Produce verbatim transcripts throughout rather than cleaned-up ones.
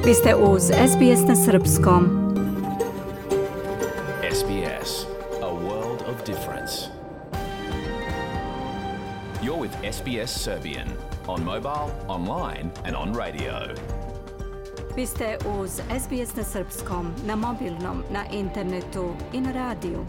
Vi ste uz S B S na srpskom. S B S, a world of difference. You're with S B S Serbian on mobile, online and on radio. Vi ste uz S B S na srpskom, na mobilnom, na internetu i na radiju.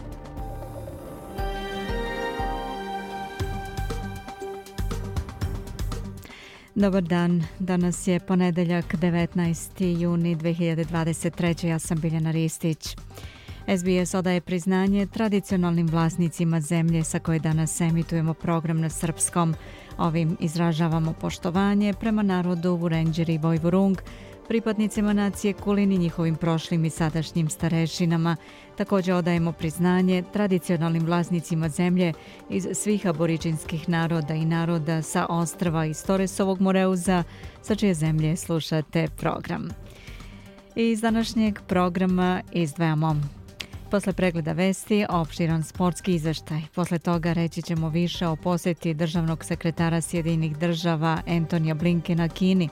Dobar dan, danas je ponedeljak devetnaesti juni dve hiljade dvadeset treće. Ja sam Biljana Ristić. S B S odaje priznanje tradicionalnim vlasnicima zemlje sa koje danas emitujemo program na srpskom. Ovim izražavamo poštovanje prema narodu Vurenđeri i Vojvurung, pripadnicima nacije Kulin i njihovim prošlim i sadašnjim starešinama. Također odajemo priznanje tradicionalnim vlasnicima zemlje iz svih aboriđinskih naroda i naroda sa ostrva iz Toresovog Moreuza, sa čije zemlje slušate program. Iz današnjeg programa izdvajamo: posle pregleda vesti, opširan sportski izveštaj. Posle toga reći ćemo više o posjeti državnog sekretara Sjedinjenih država Antonija Blinkena Kini.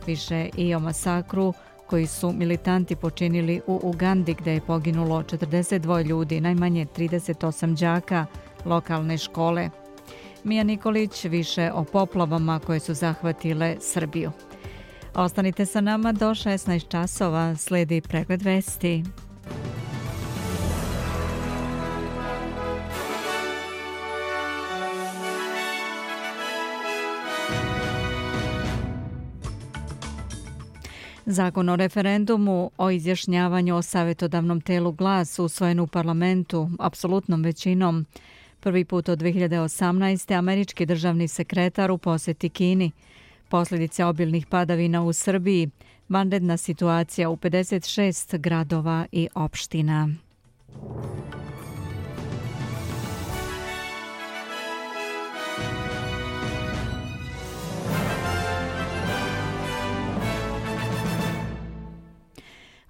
Više i o masakru koji su militanti počinili u Ugandi, gdje je poginulo četrdeset dva ljudi, najmanje trideset osam đaka lokalne škole. Mija Nikolić više o poplavama koje su zahvatile Srbiju. Ostanite sa nama do šesnaest časova, slijedi pregled vesti. Zakon o referendumu o izjašnjavanju o savjetodavnom telu Glas usvojen u parlamentu apsolutnom većinom. Prvi put od dve hiljade osamnaeste. američki državni sekretar u posjeti Kini. Posljedice obilnih padavina u Srbiji, vanredna situacija u pedeset šest gradova i opština.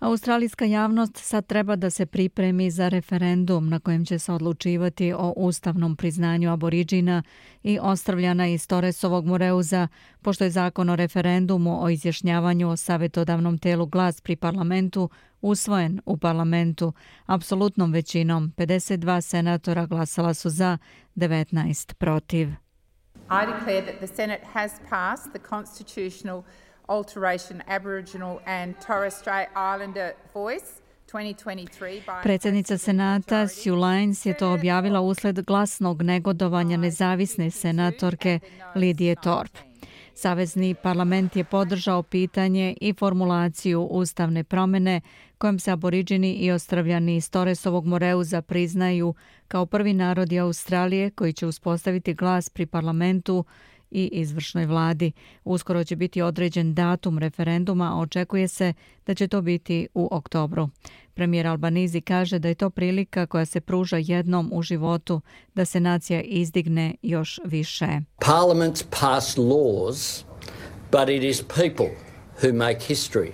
Australijska javnost sad treba da se pripremi za referendum na kojem će se odlučivati o ustavnom priznanju aboriđina i ostrvljana iz Toresovog Moreuza, pošto je zakon o referendumu o izjašnjavanju o savjetodavnom telu Glas pri parlamentu usvojen u parlamentu apsolutnom većinom. pedeset dva senatora glasala su za, devetnaest protiv. I declare that the Senate has passed the constitutional alteration Aboriginal and Torres Strait Islander voice twenty twenty-three by... Predsjednica Senata Sue Lines je to objavila usled glasnog negodovanja nezavisne senatorke Lidije Thorpe. Savezni parlament je podržao pitanje i formulaciju ustavne promjene kojom se aboriđini i ostrvljani iz Toresovog Moreuza priznaju kao prvi narodi Australije koji će uspostaviti glas pri parlamentu i izvršnoj vladi. Uskoro će biti određen datum referenduma, a očekuje se da će to biti u oktobru. Premijer Albanizi kaže da je to prilika koja se pruža jednom u životu da se nacija izdigne još više. Parliaments pass laws, but it is people who make history.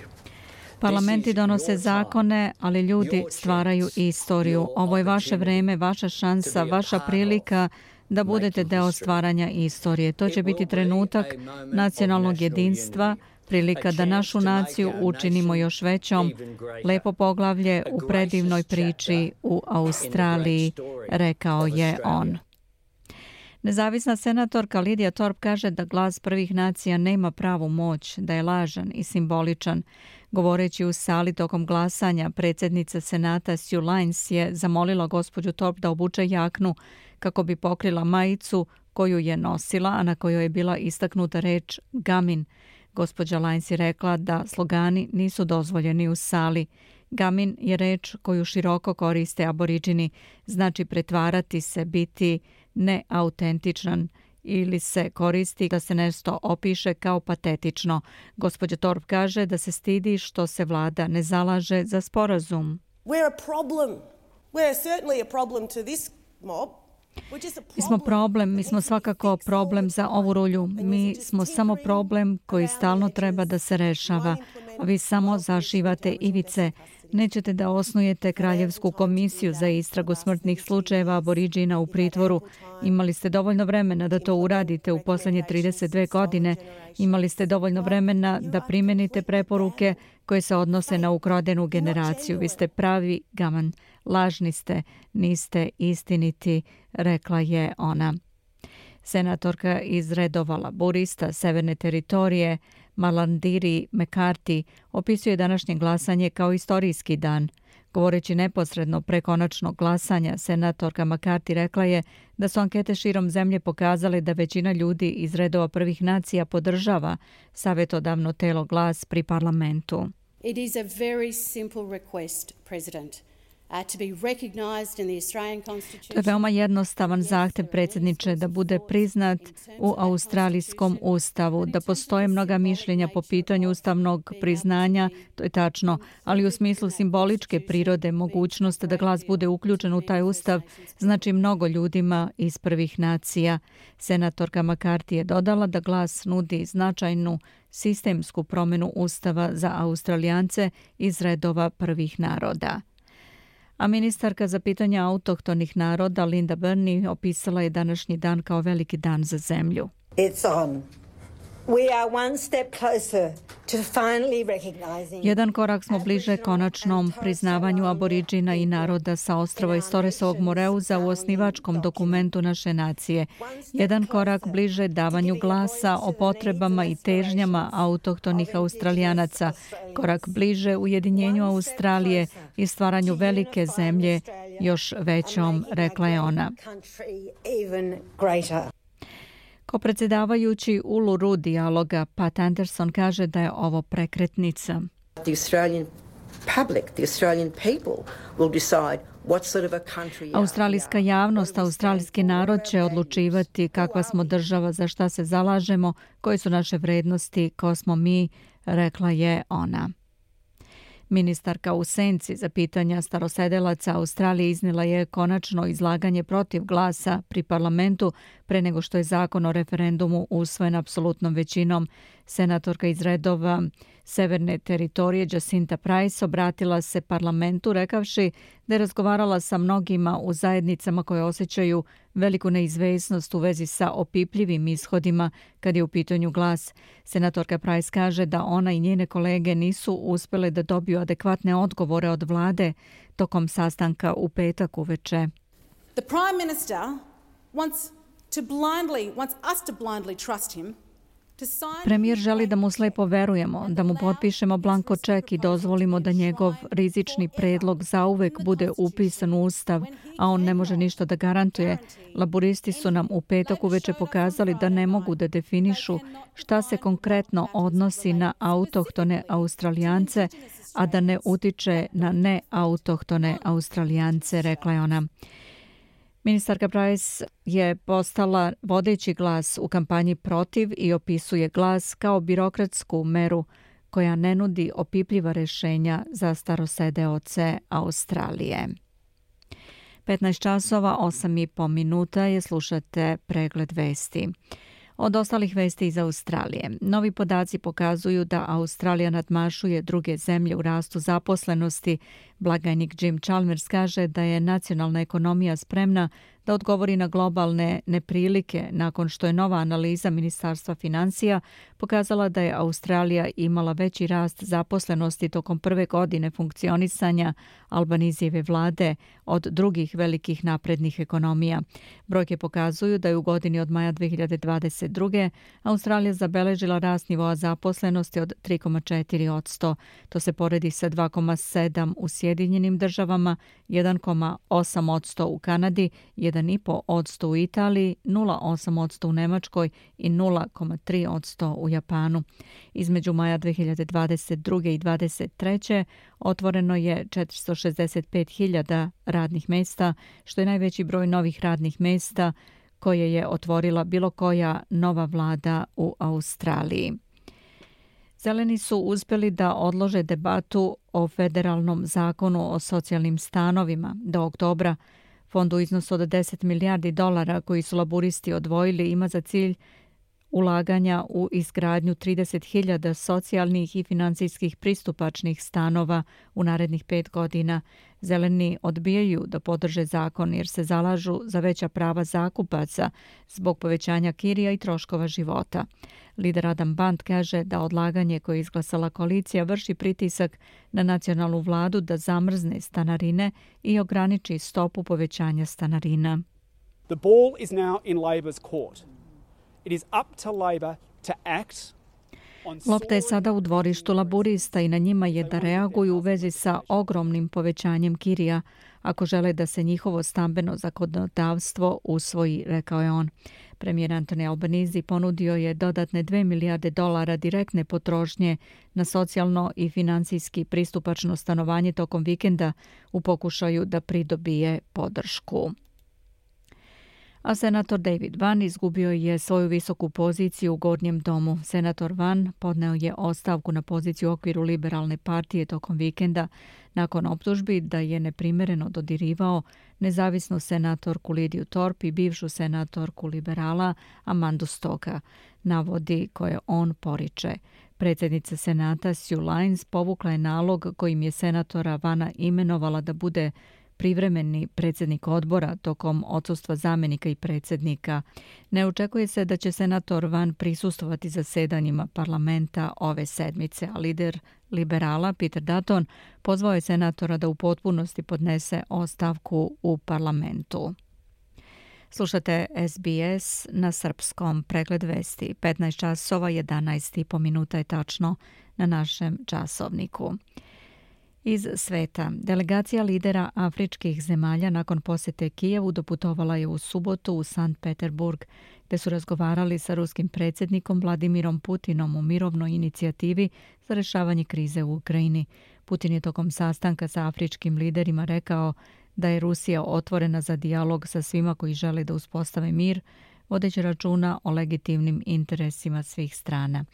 Parlamenti donose zakone, ali ljudi stvaraju istoriju. Ovo je vaše vreme, vaša šansa, vaša prilika da budete deo stvaranja istorije. To će biti trenutak nacionalnog jedinstva, prilika da našu naciju učinimo još većom, lepo poglavlje u predivnoj priči u Australiji, rekao je on. Nezavisna senatorka Lidija Thorpe kaže da glas prvih nacija nema pravu moć, da je lažan i simboličan. Govoreći u sali tokom glasanja, predsjednica Senata Sue Lines je zamolila gospođu Thorpe da obuče jaknu kako bi pokrila majicu koju je nosila, a na kojoj je bila istaknuta reč Gamin. Gospođa Lines je rekla da slogani nisu dozvoljeni u sali. Gamin je reč koju široko koriste aboriđini, znači pretvarati se, biti neautentičan ili se koristi da se nešto opiše kao patetično. Gospođa Thorpe kaže da se stidi što se vlada ne zalaže za sporazum. We're a problem. We're certainly a problem to this mob. Mi smo problem, mi smo svakako problem za ovu rulju. Mi smo samo problem koji stalno treba da se rešava. Vi samo zašivate ivice. Nećete da osnujete kraljevsku komisiju za istragu smrtnih slučajeva aboriđina u pritvoru. Imali ste dovoljno vremena da to uradite u posljednje trideset dve godine. Imali ste dovoljno vremena da primenite preporuke koje se odnose na ukradenu generaciju. Vi ste pravi gaman. Lažni ste, niste istiniti, rekla je ona. Senatorka iz redova laburista Severne teritorije Malarndirri McCarthy opisuje današnje glasanje kao istorijski dan. Govoreći neposredno pre konačnog glasanja, senatorka McCarthy rekla je da su ankete širom zemlje pokazale da većina ljudi iz redova prvih nacija podržava savjetodavno telo Glas pri parlamentu. It is a very simple request, President. To je veoma jednostavan zahtev, predsjedniče, da bude priznat u australijskom ustavu. Da postoje mnoga mišljenja po pitanju ustavnog priznanja, to je tačno, ali u smislu simboličke prirode mogućnost da Glas bude uključen u taj ustav znači mnogo ljudima iz prvih nacija. Senatorka McCarthy je dodala da Glas nudi značajnu sistemsku promjenu ustava za Australijance iz redova prvih naroda. A ministarka za pitanja autohtonih naroda Linda Burney opisala je današnji dan kao veliki dan za zemlju. It's on. We are one step closer to finally recognizing. Jedan korak smo bliže konačnom priznavanju aboriđina i naroda sa ostrava iz Torresovog Moreuza u osnivačkom dokumentu naše nacije. Jedan korak bliže davanju glasa o potrebama i težnjama autohtonih Australijanaca. Korak bliže ujedinjenju Australije i stvaranju velike zemlje još većom, rekla je ona. Ko predsjedavajući Uluru dijaloga, Pat Anderson kaže da je ovo prekretnica. The Australian public, the Australian people will decide what sort of a country. Australijska javnost, australijski narod će odlučivati kakva smo država, za šta se zalažemo, koje su naše vrednosti, ko smo mi, rekla je ona. Ministarka u senci za pitanja starosedelaca Australije iznijela je konačno izlaganje protiv Glasa pri parlamentu pre nego što je zakon o referendumu usvojen apsolutnom većinom. Senatorka iz redova Severne teritorije Jacinta Price obratila se parlamentu rekavši da je razgovarala sa mnogima u zajednicama koje osjećaju veliku neizvesnost u vezi sa opipljivim ishodima kad je u pitanju Glas. Senatorka Price kaže da ona i njene kolege nisu uspjele da dobiju adekvatne odgovore od vlade tokom sastanka u petak uveče. The Prime Minister wants to blindly, wants us to blindly trust him. Premijer želi da mu slepo verujemo, da mu potpišemo blanko ček i dozvolimo da njegov rizični predlog zauvek bude upisan u ustav, a on ne može ništa da garantuje. Laburisti su nam u petak uveče pokazali da ne mogu da definišu šta se konkretno odnosi na autohtone Australijance, a da ne utiče na neautohtone Australijance, rekla je ona. Ministarka Price je postala vodeći glas u kampanji protiv i opisuje Glas kao birokratsku meru koja ne nudi opipljiva rješenja za starosedeoce Australije. petnaest časova, osam i po minuta je, slušate pregled vesti. Od ostalih vesti iz Australije. Novi podaci pokazuju da Australija nadmašuje druge zemlje u rastu zaposlenosti. Blagajnik Jim Chalmers kaže da je nacionalna ekonomija spremna da odgovori na globalne neprilike nakon što je nova analiza Ministarstva financija pokazala da je Australija imala veći rast zaposlenosti tokom prve godine funkcionisanja Albanizijeve vlade od drugih velikih naprednih ekonomija. Brojke pokazuju da je u godini od maja dve hiljade dvadeset druge. Australija zabeležila rast nivoa zaposlenosti od tri zarez četiri posto. To se poredi sa dva zarez sedam u Sjedinjenim državama, jedan zarez osam posto u Kanadi, jedan zarez pet posto u Italiji, nula zarez osam posto u Nemačkoj i nula zarez tri posto u Japanu. Između maja dve hiljade dvadeset druge i dvadeset treće otvoreno je četiristo šezdeset pet hiljada radnih mjesta, što je najveći broj novih radnih mjesta koje je otvorila bilo koja nova vlada u Australiji. Zeleni su uspjeli da odlože debatu o federalnom zakonu o socijalnim stanovima do oktobra. Fond u iznosu od deset milijardi dolara koji su laburisti odvojili ima za cilj ulaganja u izgradnju trideset hiljada socijalnih i financijskih pristupačnih stanova u narednih pet godina. Zeleni odbijaju da podrže zakon jer se zalažu za veća prava zakupaca zbog povećanja kirija i troškova života. Lider Adam Band kaže da odlaganje koje je izglasala koalicija vrši pritisak na nacionalnu vladu da zamrzne stanarine i ograniči stopu povećanja stanarina. The ball is now in Labor's court. It is up to Labor to act. Lopta je sada u dvorištu laburista i na njima je da reaguju u vezi sa ogromnim povećanjem kirija ako žele da se njihovo stambeno zakonodavstvo usvoji, rekao je on. Premijer Anthony Albanese ponudio je dodatne dve milijarde dolara direktne potrošnje na socijalno i financijski pristupačno stanovanje tokom vikenda u pokušaju da pridobije podršku. A senator David Vann izgubio je svoju visoku poziciju u Gornjem domu. Senator Vann podneo je ostavku na poziciju u okviru liberalne partije tokom vikenda nakon optužbi da je neprimereno dodirivao nezavisnu senatorku Lidiju Thorpe i bivšu senatorku liberala Amandu Stoka, navodi koje on poriče. Predsjednica senata Sue Lines povukla je nalog kojim je senatora Vanna imenovala da bude privremeni predsjednik odbora tokom odsustva zamjenika i predsjednika. Ne očekuje se da će senator Vann prisustvovati zasedanjima parlamenta ove sedmice, a lider liberala Peter Dutton pozvao je senatora da u potpunosti podnese ostavku u parlamentu. Slušate S B S na srpskom, pregled vesti. petnaest časova jedanaest i po minuta je tačno na našem časovniku. Iz sveta. Delegacija lidera afričkih zemalja nakon posjete Kijevu doputovala je u subotu u Sankt Peterburg, gdje su razgovarali sa ruskim predsjednikom Vladimirom Putinom u mirovnoj inicijativi za rješavanje krize u Ukrajini. Putin je tokom sastanka sa afričkim liderima rekao da je Rusija otvorena za dijalog sa svima koji žele da uspostave mir, vodeći računa o legitimnim interesima svih strana.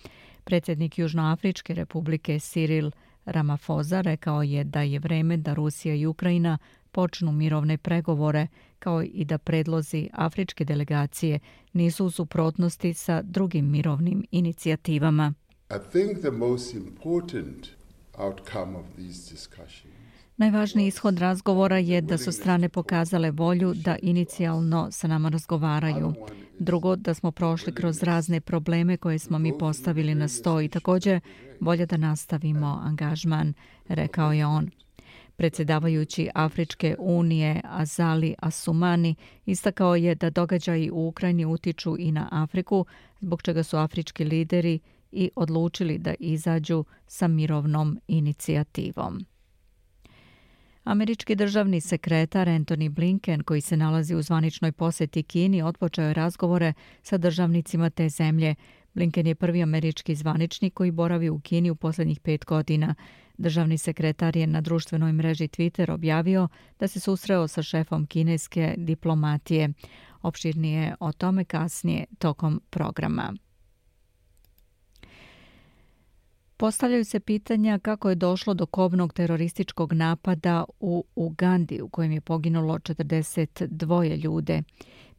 Predsjednik Južnoafričke republike Cyril Ramaphosa rekao je da je vreme da Rusija i Ukrajina počnu mirovne pregovore, kao i da predlozi afričke delegacije nisu u suprotnosti sa drugim mirovnim inicijativama. I think the most important outcome of these discussions Najvažniji ishod razgovora je da su strane pokazale volju da inicijalno sa nama razgovaraju. Drugo, da smo prošli kroz razne probleme koje smo mi postavili na sto i također volja da nastavimo angažman, rekao je on. Predsjedavajući Afričke unije Azali Assoumani istakao je da događaji u Ukrajini utiču i na Afriku, zbog čega su afrički lideri i odlučili da izađu sa mirovnom inicijativom. Američki državni sekretar Antony Blinken, koji se nalazi u zvaničnoj posjeti Kini, otpočeo je razgovore sa državnicima te zemlje. Blinken je prvi američki zvaničnik koji boravi u Kini u posljednjih pet godina. Državni sekretar je na društvenoj mreži Twitter objavio da se susreo sa šefom kineske diplomatije. Opširnije o tome kasnije tokom programa. Postavljaju se pitanja kako je došlo do kobnog terorističkog napada u Ugandi u kojem je poginulo četrdeset dvoje ljude.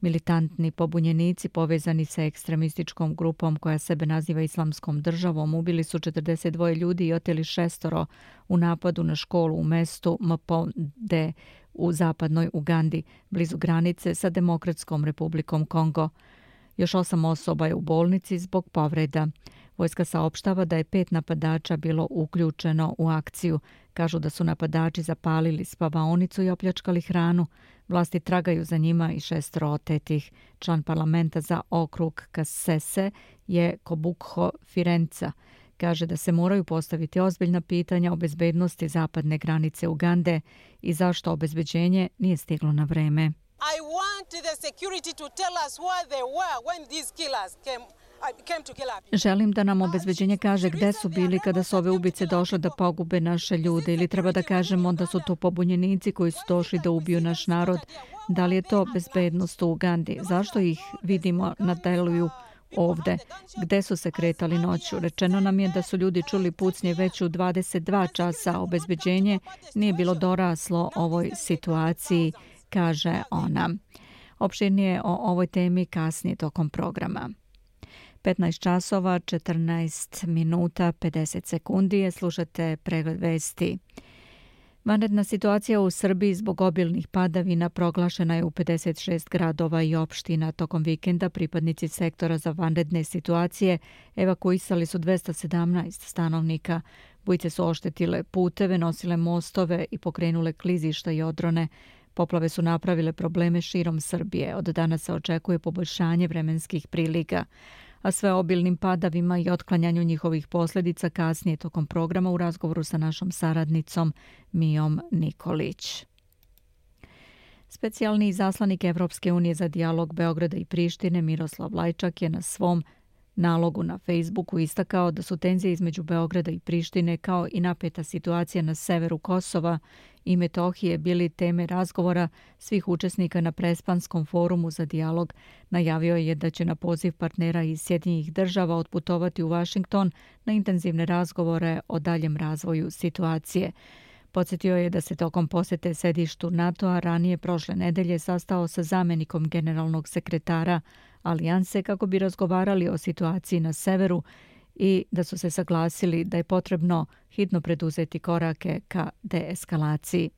Militantni pobunjenici povezani sa ekstremističkom grupom koja sebe naziva Islamskom državom ubili su četrdeset dvoje ljudi i oteli šestoro u napadu na školu u mestu Mponde u zapadnoj Ugandi, blizu granice sa Demokratskom republikom Kongo. Još osam osoba je u bolnici zbog povreda. Vojska saopštava da je pet napadača bilo uključeno u akciju. Kažu da su napadači zapalili spavaonicu i opljačkali hranu. Vlasti tragaju za njima i šestoro otetih. Član parlamenta za okrug Kasese je Kobukho Firenca. Kaže da se moraju postaviti ozbiljna pitanja o bezbednosti zapadne granice Ugande i zašto obezbeđenje nije stiglo na vreme. I want the security to tell us where they were when these killers came. Želim da nam obezbeđenje kaže gde su bili kada su ove ubice došle da pogube naše ljude, ili treba da kažemo da su to pobunjenici koji su došli da ubiju naš narod. Da li je to bezbednost u Ugandi? Zašto ih vidimo na deluju ovde? Gde su se kretali noću? Rečeno nam je da su ljudi čuli pucnje već u dvadeset dva časa. Obezbeđenje nije bilo doraslo ovoj situaciji, kaže ona. Opširnije o ovoj temi kasnije tokom programa. petnaest časova, četrnaest minuta, pedeset sekundi. Slušate pregled vesti. Vanredna situacija u Srbiji zbog obilnih padavina proglašena je u pedeset šest gradova i opština. Tokom vikenda pripadnici sektora za vanredne situacije evakuisali su dvesta sedamnaest stanovnika. Bujice su oštetile puteve, nosile mostove i pokrenule klizišta i odrone. Poplave su napravile probleme širom Srbije. Od danas se očekuje poboljšanje vremenskih prilika. A sve obilnim padavima i otklanjanju njihovih posljedica kasnije tokom programa u razgovoru sa našom saradnicom Mijom Nikolić. Specijalni izaslanik Evropske unije za dijalog Beograda i Prištine Miroslav Lajčak je na svom nalogu na Facebooku istakao da su tenzije između Beograda i Prištine kao i napeta situacija na severu Kosova i Metohije bili teme razgovora svih učesnika na Prespanskom forumu za dijalog. Najavio je da će na poziv partnera iz Sjedinjenih država otputovati u Vašington na intenzivne razgovore o daljem razvoju situacije. Podsjetio je da se tokom posjete sedištu NATO-a ranije prošle nedelje sastao sa zamjenikom generalnog sekretara Alijanse kako bi razgovarali o situaciji na severu i da su se saglasili da je potrebno hitno preduzeti korake ka deeskalaciji.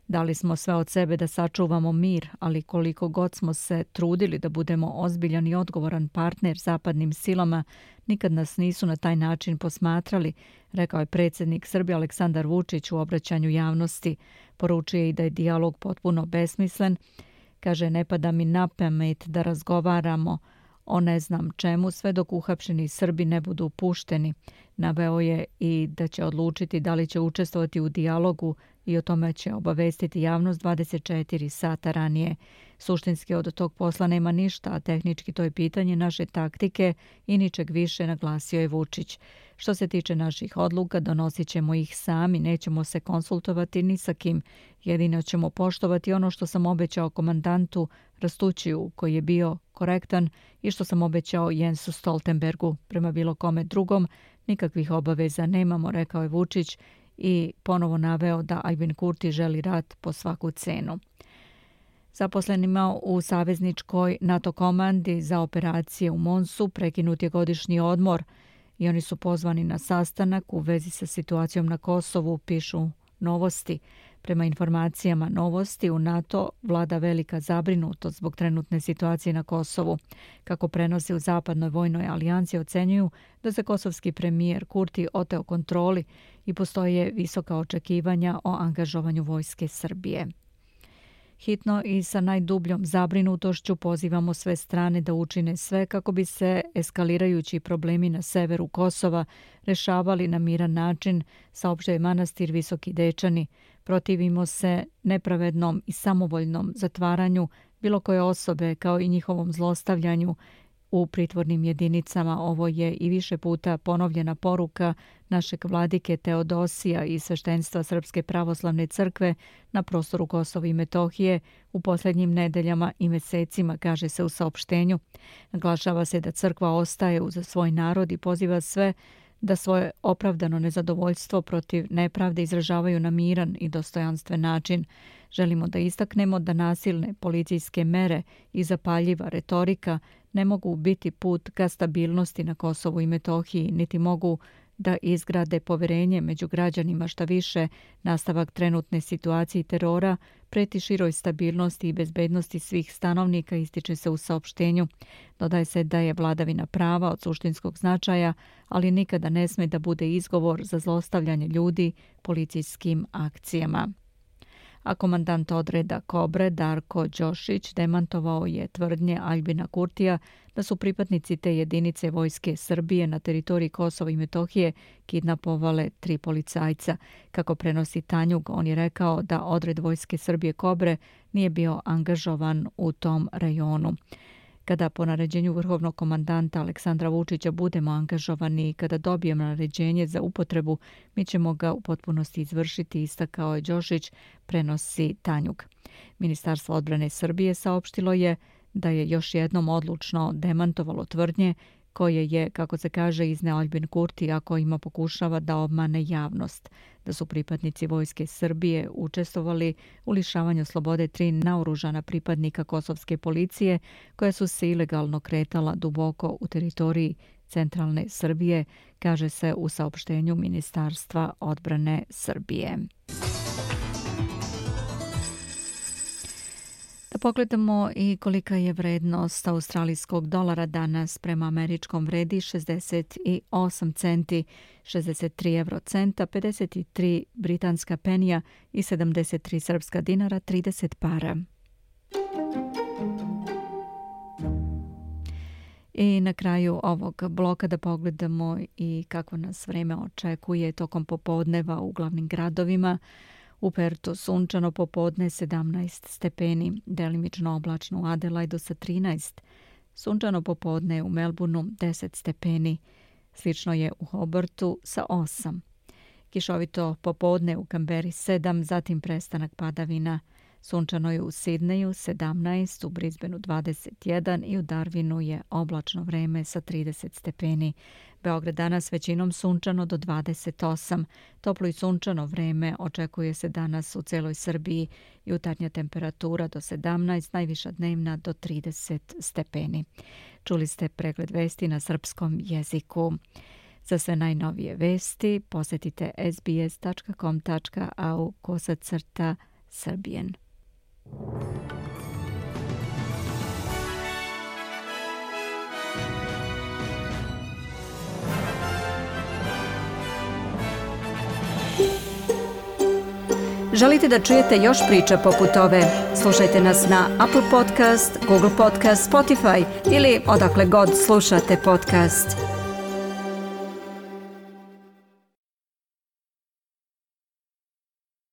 Dali smo sve od sebe da sačuvamo mir, ali koliko god smo se trudili da budemo ozbiljan i odgovoran partner zapadnim silama, nikad nas nisu na taj način posmatrali, rekao je predsjednik Srbije Aleksandar Vučić u obraćanju javnosti. Poručio je i da je dijalog potpuno besmislen. Kaže, ne pada mi na pamet da razgovaramo o ne znam čemu sve dok uhapšeni Srbi ne budu pušteni. Naveo je i da će odlučiti da li će učestvovati u dijalogu i o tome će obavestiti javnost dvadeset četiri sata ranije. Suštinski od tog posla nema ništa, a tehnički to je pitanje naše taktike i ničeg više, naglasio je Vučić. Što se tiče naših odluka, donosit ćemo ih sami, nećemo se konsultovati ni sa kim. Jedino ćemo poštovati ono što sam obećao komandantu Rastućiju, koji je bio korektan, i što sam obećao Jensu Stoltenbergu. Prema bilo kome drugom nikakvih obaveza nemamo, rekao je Vučić i ponovo naveo da Aljbin Kurti želi rat po svaku cenu. Zaposlenima u savezničkoj NATO komandi za operacije u Monsu prekinut je godišnji odmor i oni su pozvani na sastanak u vezi sa situacijom na Kosovu, pišu Novosti. Prema informacijama Novosti, u NATO vlada velika zabrinutost zbog trenutne situacije na Kosovu. Kako prenosi u Zapadnoj vojnoj alijansi, ocenjuju da se kosovski premijer Kurti oteo kontroli i postoje visoka očekivanja o angažovanju vojske Srbije. Hitno i sa najdubljom zabrinutošću pozivamo sve strane da učine sve kako bi se eskalirajući problemi na severu Kosova rešavali na miran način, saopštio je manastir Visoki Dečani. Protivimo se nepravednom i samovoljnom zatvaranju bilo koje osobe kao i njihovom zlostavljanju u pritvornim jedinicama. Ovo je i više puta ponovljena poruka našeg vladike Teodosija i sveštenstva Srpske pravoslavne crkve na prostoru Kosova i Metohije u posljednjim nedeljama i mesecima, kaže se u saopštenju. Naglašava se da crkva ostaje uz svoj narod i poziva sve da svoje opravdano nezadovoljstvo protiv nepravde izražavaju na miran i dostojanstven način. Želimo da istaknemo da nasilne policijske mere i zapaljiva retorika ne mogu biti put ka stabilnosti na Kosovu i Metohiji, niti mogu da izgrade poverenje među građanima. Šta više, nastavak trenutne situacije terora preti široj stabilnosti i bezbednosti svih stanovnika, ističe se u saopštenju. Dodaje se da je vladavina prava od suštinskog značaja, ali nikada ne sme da bude izgovor za zlostavljanje ljudi policijskim akcijama. A komandant odreda Kobre Darko Đošić demantovao je tvrdnje Aljbina Kurtija da su pripadnici te jedinice vojske Srbije na teritoriji Kosova i Metohije kidnapovale tri policajca. Kako prenosi Tanjug, on je rekao da odred vojske Srbije Kobre nije bio angažovan u tom rajonu. Kada po naređenju vrhovnog komandanta Aleksandra Vučića budemo angažovani i kada dobijemo naređenje za upotrebu, mi ćemo ga u potpunosti izvršiti, istakao je Đošić, prenosi Tanjug. Ministarstvo odbrane Srbije saopštilo je da je još jednom odlučno demantovalo tvrdnje koje je, kako se kaže, izneo Aljbin Kurti, a kojima pokušava da obmane javnost. da su pripadnici Vojske Srbije učestvovali u lišavanju slobode tri naoružana pripadnika kosovske policije koja su se ilegalno kretala duboko u teritoriji centralne Srbije, kaže se u saopštenju Ministarstva odbrane Srbije. Da pogledamo i kolika je vrednost australijskog dolara danas. Prema američkom vredi šezdeset osam centi, šezdeset tri evrocenta, pedeset tri britanska penija i sedamdeset tri srpska dinara, trideset para. I na kraju ovog bloka da pogledamo i kako nas vreme očekuje tokom popodneva u glavnim gradovima. U Pertu sunčano popodne sedamnaest stepeni, delimično oblačno u Adelaidu sa trinaest, sunčano popodne u Melbourneu deset stepeni, slično je u Hobartu sa osam. Kišovito popodne u Kamberi sedam, zatim prestanak padavina. Sunčano je u Sidneju sedamnaest, u Brisbaneu dvadeset jedan i u Darwinu je oblačno vreme sa trideset stepeni. Beograd danas većinom sunčano do dvadeset osam. Toplo i sunčano vreme očekuje se danas u celoj Srbiji. Jutarnja temperatura do sedamnaest, najviša dnevna do trideset stepeni. Čuli ste pregled vesti na srpskom jeziku. Za sve najnovije vesti posetite s b s tačka com tačka a u kosacrta Srbijen. Želite da čujete još priča poput ove? Slušajte nas na Apple Podcast, Google Podcast, Spotify ili odakle god slušate podcast.